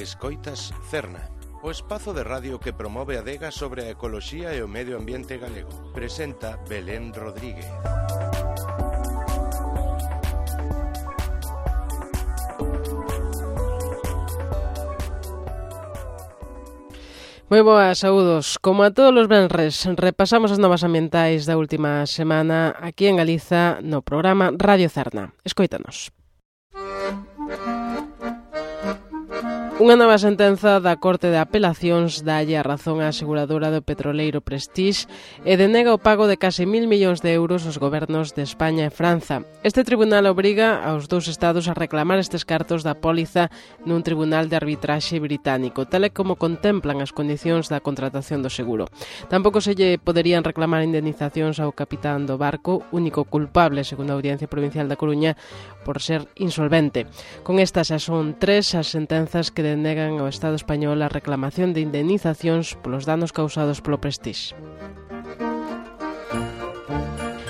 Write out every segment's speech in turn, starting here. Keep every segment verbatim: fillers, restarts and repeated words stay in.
Escoitas Cerna, o espazo de radio que promove a adega sobre a ecoloxía e o medio ambiente galego. Presenta Belén Rodríguez. Moi boas, saúdos. Como a todos os venres, repasamos as novas ambientais da última semana aquí en Galiza no programa Radio Cerna. Escoítanos. Unha nova sentenza da Corte de Apelacións dálle a razón á aseguradora do petroleiro Prestige e denega o pago de case mil millóns de euros aos gobernos de España e Franza. Este tribunal obriga aos dous estados a reclamar estes cartos da póliza nun tribunal de arbitraxe británico, tal e como contemplan as condicións da contratación do seguro. Tampouco se lle poderían reclamar indemnizacións ao capitán do barco, único culpable, segundo a Audiencia Provincial da Coruña, por ser insolvente. Con estas xa son tres as sentenzas que denegan ao Estado español a reclamación de indemnizacións polos danos causados polo Prestige.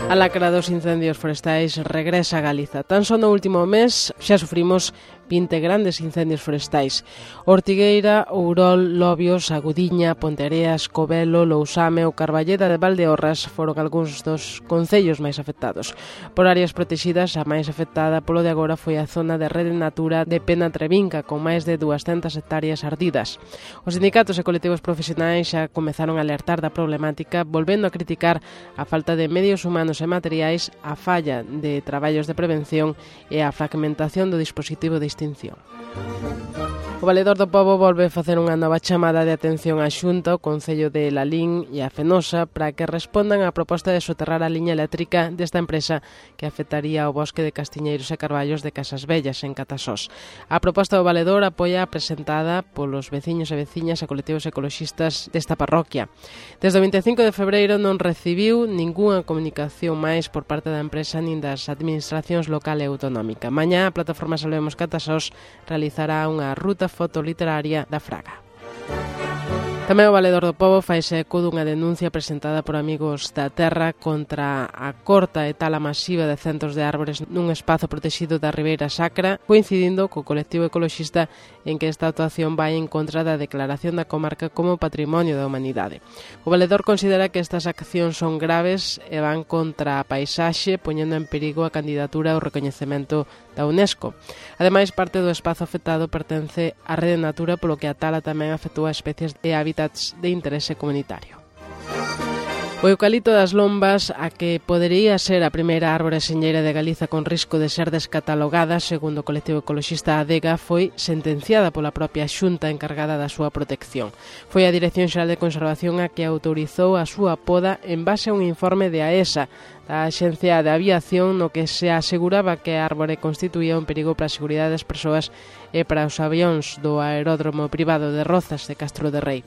A lacra dos incendios forestais regresa a Galiza. Tan só no último mes xa sufrimos vinte grandes incendios forestais. Ortigueira, Ourol, Lobios, Agudiña, Ponteareas, Covelo, Lousame ou Carballeda de Valdeorras foron algúns dos concellos máis afectados. Por áreas protegidas, a máis afectada polo de agora foi a zona de Rede Natura de Pena Trevinca, con máis de duascentas hectáreas ardidas. Os sindicatos e colectivos profesionais xa comezaron a alertar da problemática, volvendo a criticar a falta de medios humanos e materiais, a falla de traballos de prevención e a fragmentación do dispositivo de extinción. O Valedor do Pobo volve a facer unha nova chamada de atención á Xunta, o Concello de Lalín e a Fenosa para que respondan á proposta de soterrar a liña eléctrica desta empresa que afectaría ao bosque de castiñeiros e carballos de Casas Vellas, en Catasós. A proposta do Valedor apoia a presentada polos veciños e veciñas e colectivos ecoloxistas desta parroquia. Desde o vinte e cinco de febreiro non recibiu ningunha comunicación máis por parte da empresa nin das administracións local e autonómica. Mañá a plataforma Salvemos Catasós realizará unha ruta fotoliteraria da Fraga. Tamén o Valedor do Pobo faise eco dunha denuncia presentada por Amigos da Terra contra a corta e tala masiva de centos de árbores nun espazo protegido da Ribeira Sacra, coincidindo co colectivo ecoloxista en que esta actuación vai en contra da declaración da comarca como Patrimonio da Humanidade. O Valedor considera que estas accións son graves e van contra a paisaxe, poñendo en perigo a candidatura ao recoñecemento da UNESCO. Ademais, parte do espazo afectado pertence á Rede Natura, polo que a tala tamén afectou a especies de hábitats de interese comunitario. O eucalipto das Lombas, a que podería ser a primeira árbore señeira de Galiza con risco de ser descatalogada, segundo o colectivo ecoloxista Adega, foi sentenciada pola propia Xunta encargada da súa protección. Foi a Dirección Xeral de Conservación a que autorizou a súa poda en base a un informe de AESA, da Axencia de Aviación, no que se aseguraba que a árbore constituía un perigo para a seguridade das persoas e para os avións do aeródromo privado de Rozas de Castro de Rei.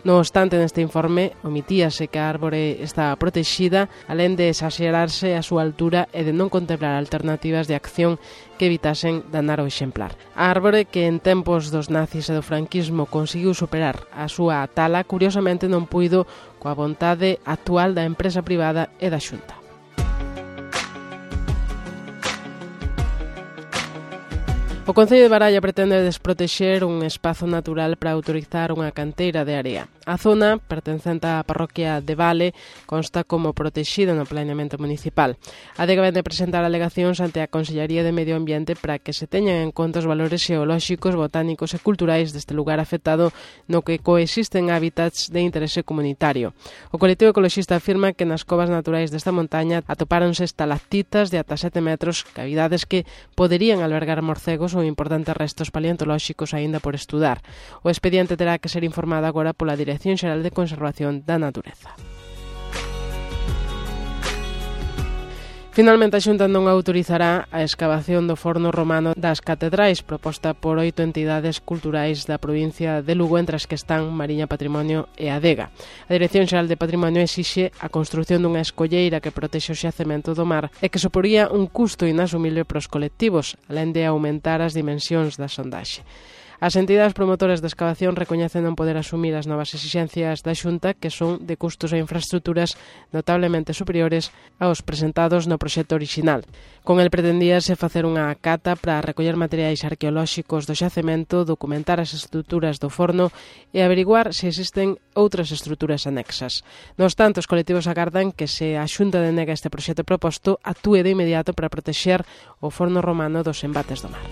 No obstante, neste informe omitíase que a árbore estaba protegida, alén de exagerarse a súa altura e de non contemplar alternativas de acción que evitasen danar o exemplar. A árbore, que en tempos dos nazis e do franquismo conseguiu superar a súa tala, curiosamente non puido coa vontade actual da empresa privada e da Xunta. O Concello de Baralla pretende desprotexer un espazo natural para autorizar unha canteira de area. A zona, pertencente á parroquia de Vale, consta como protexida no planeamento municipal. A Adega vende presentar alegacións ante a Consellería de Medio Ambiente para que se teñan en conta os valores xeolóxicos, botánicos e culturais deste lugar afectado no que coexisten hábitats de interese comunitario. O colectivo ecoloxista afirma que nas covas naturais desta montaña atopáronse estalactitas de ata sete metros, cavidades que poderían albergar morcegos ou importantes restos paleontolóxicos aínda por estudar. O expediente terá que ser informado agora pola Dirección Xeral de Conservación da Natureza. Finalmente, a Xunta non autorizará a escavación do forno romano das catedrais, proposta por oito entidades culturais da provincia de Lugo, entre as que están Mariña Patrimonio e Adega. A Dirección Xeral de Patrimonio exixe a construción dunha escolleira que protexe o xacemento do mar e que suporía un custo inasumible para os colectivos, alén de aumentar as dimensións da sondaxe. As entidades promotoras de excavación recoñecen non poder asumir as novas exixencias da Xunta, que son de custos e infraestructuras notablemente superiores aos presentados no proxecto orixinal. Con el pretendíase facer unha cata para recoller materiais arqueolóxicos do xacemento, documentar as estruturas do forno e averiguar se existen outras estruturas anexas. No obstante, os colectivos agardan que se a Xunta denega este proxecto proposto, actúe de inmediato para protexer o forno romano dos embates do mar.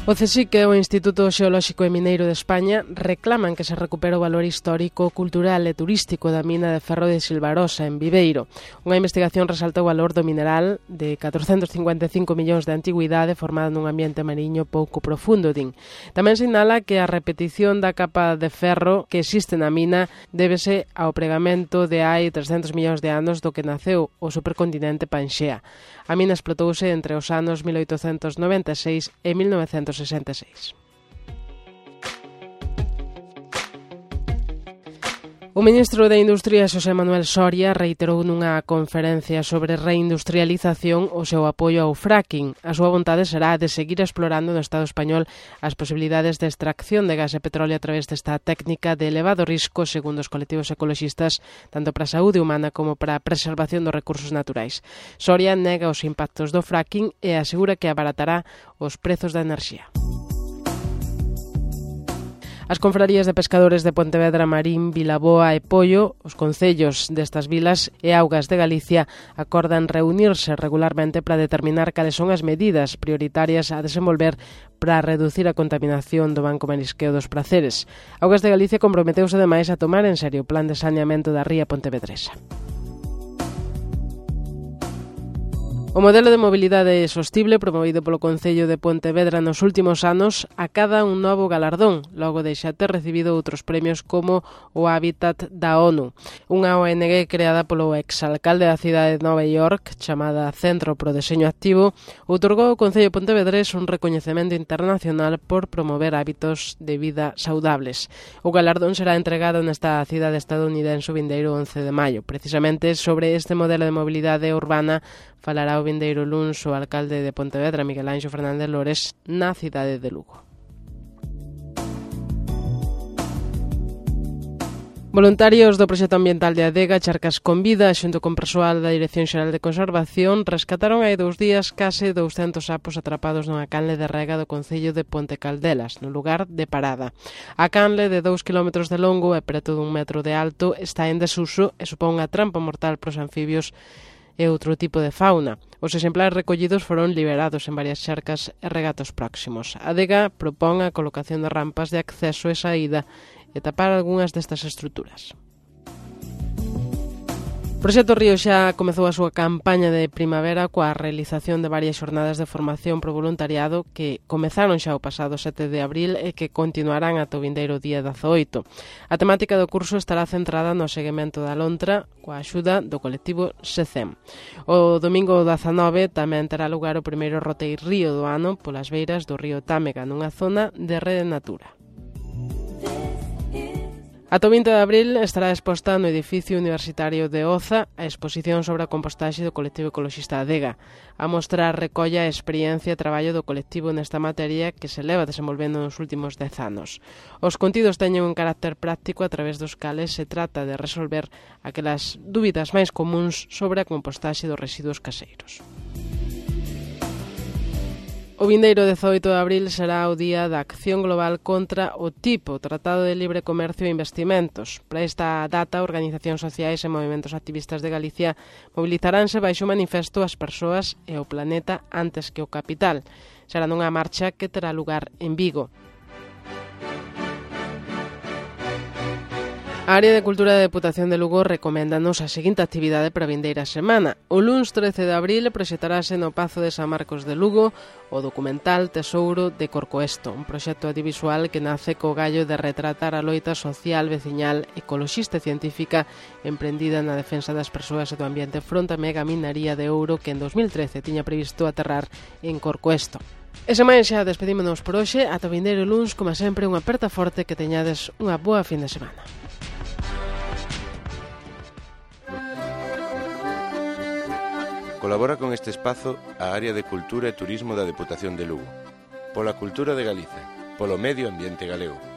O CSIC e o Instituto Xeolóxico e Mineiro de España reclaman que se recupere o valor histórico, cultural e turístico da mina de ferro de Silvarosa, en Viveiro. Unha investigación resalta o valor do mineral de catrocentos cincuenta e cinco millóns de antigüidade formado nun ambiente mariño pouco profundo, din. Tamén sinala que a repetición da capa de ferro que existe na mina débese ao pregamento de hai trescentos millóns de anos do que naceu o supercontinente Panxea. A mina explotouse entre os anos mil oitocentos noventa e seis e mil novecentos sesenta e seis. O ministro de Industria, Xosé Manuel Soria, reiterou nunha conferencia sobre reindustrialización o seu apoio ao fracking. A súa vontade será de seguir explorando no Estado español as posibilidades de extracción de gas e petróleo a través desta técnica de elevado risco, segundo os colectivos ecoloxistas, tanto para a saúde humana como para a preservación dos recursos naturais. Soria nega os impactos do fracking e asegura que abaratará os prezos da enerxía. As confrarías de pescadores de Pontevedra, Marín, Vilaboa e Pollo, os concellos destas vilas e augas de Galicia, acordan reunirse regularmente para determinar cales son as medidas prioritarias a desenvolver para reducir a contaminación do banco marisqueo dos Praceres. Augas de Galicia comprometeuse ademais a tomar en serio o plan de saneamento da ría pontevedresa. O modelo de mobilidade sostible promovido polo Concello de Pontevedra nos últimos anos acada un novo galardón, logo de xa ter recibido outros premios como o Hábitat da ONU. Unha O N G creada polo exalcalde da cidade de Nova York, chamada Centro pro Deseño Activo, outorgou ao Concello Pontevedrés un recoñecemento internacional por promover hábitos de vida saudables. O galardón será entregado nesta cidade estadounidense o vindeiro once de maio. Precisamente sobre este modelo de mobilidade urbana falará o vindeiro luns o alcalde de Pontevedra, Miguel Anxo Fernández Lores, na cidade de Lugo. Voluntarios do proxecto ambiental de Adega, Charcas con Vida, xunto con persoal da Dirección Xeral de Conservación, rescataron hai dous días case douscentos sapos atrapados nunha canle de rega do concello de Ponte Caldelas, no lugar de Parada. A canle, de dous kilómetros de longo e preto dun metro de alto, está en desuso e supón unha trampa mortal para os anfibios e outro tipo de fauna. Os exemplares recollidos foron liberados en varias charcas e regatos próximos. A Adega propón a colocación de rampas de acceso e saída e tapar algunhas destas estruturas. O Proxecto Río xa comezou a súa campaña de primavera coa realización de varias xornadas de formación pro voluntariado que comezaron xa o pasado sete de abril e que continuarán ata o vindeiro día dezaoito. A temática do curso estará centrada no seguimento da lontra coa axuda do colectivo SECEM. O domingo dezanove tamén terá lugar o primeiro roteiro río do ano polas beiras do río Támega nunha zona de Rede Natura. Ata o vinte de abril estará exposta no edificio universitario de Oza a exposición sobre a compostaxe do colectivo ecoloxista Adega. A mostra recolla a experiencia e traballo do colectivo nesta materia que se leva desenvolvendo nos últimos dez anos. Os contidos teñen un carácter práctico a través dos cales se trata de resolver aquelas dúbidas máis comuns sobre a compostaxe dos residuos caseiros. O vindeiro dezaoito de abril será o día da acción global contra o tipo, Tratado de Libre Comercio e Investimentos. Para esta data, organizacións sociais e movimentos activistas de Galicia mobilizaránse baixo o manifesto as persoas e o planeta antes que o capital. Será nunha marcha que terá lugar en Vigo. A Área de Cultura da Deputación de Lugo recoméndanos a seguinte actividade para a vindeira semana. O luns trece de abril proxectarase no Pazo de San Marcos de Lugo o documental Tesouro de Corcoesto, un proxecto audiovisual que nace co gallo de retratar a loita social, veciñal, ecoloxista e científica emprendida na defensa das persoas e do ambiente fronte á mega minería de ouro que en dos mil trece tiña previsto aterrar en Corcoesto. E sen máis xa despedímonos por hoxe, ata o vindeiro luns, como sempre, unha aperta forte que teñades unha boa fin de semana. Colabora con este espazo a Área de Cultura e Turismo da Deputación de Lugo. pola cultura de Galiza, polo medio ambiente galego.